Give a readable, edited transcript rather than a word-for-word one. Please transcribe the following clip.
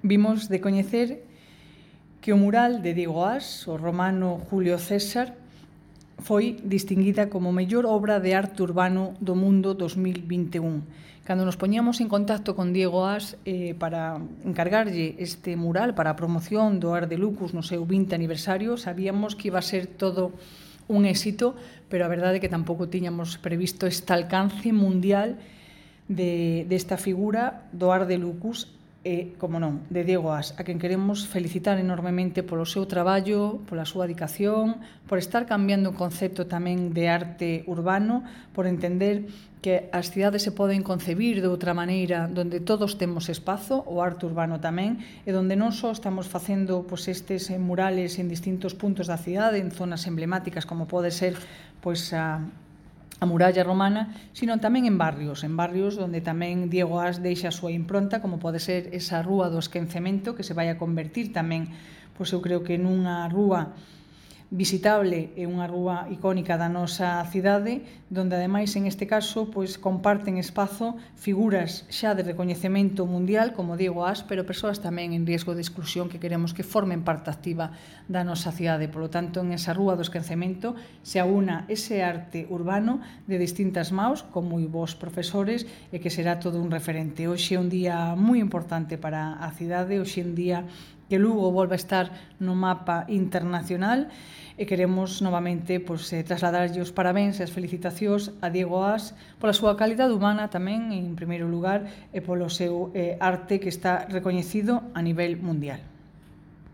vimos de coñecer que o mural de Diego Ás, o romano Julio César, foi distinguida como mellor obra de arte urbano do mundo 2021. Cando nos poñíamos en contacto con Diego Ás para encargarlle este mural para a promoción do Art de Lucus no seu 20 aniversario, sabíamos que iba a ser todo un éxito, pero a verdade é que tampouco tiñamos previsto este alcance mundial desta figura do Art de Lucus e, como non, de Diego Ás, a quen queremos felicitar enormemente polo seu traballo, pola súa dedicación, por estar cambiando o concepto tamén de arte urbano, por entender que as cidades se poden concebir de outra maneira, donde todos temos espazo, o arte urbano tamén, e donde non só estamos facendo estes murales en distintos puntos da cidade, en zonas emblemáticas como pode ser a muralla romana, sino tamén en barrios onde tamén Diego Ás deixa a súa impronta, como pode ser esa rúa do Esquecemento, que se vai a convertir tamén, eu creo que nunha rúa visitable e unha rúa icónica da nosa cidade, donde ademais en este caso comparten espazo figuras xa de recoñecemento mundial como Diego Ás, pero persoas tamén en riesgo de exclusión que queremos que formen parte activa da nosa cidade. Por lo tanto, en esa rúa do Esquecemento se aúna ese arte urbano de distintas maus con moi bons profesores e que será todo un referente. Hoxe é un día moi importante para a cidade, hoxe é un día que Lugo volve a estar no mapa internacional e queremos novamente trasladarlle os parabéns e as felicitacións a Diego Ás pola súa calidade humana tamén, en primeiro lugar, e polo seu arte que está recoñecido a nivel mundial.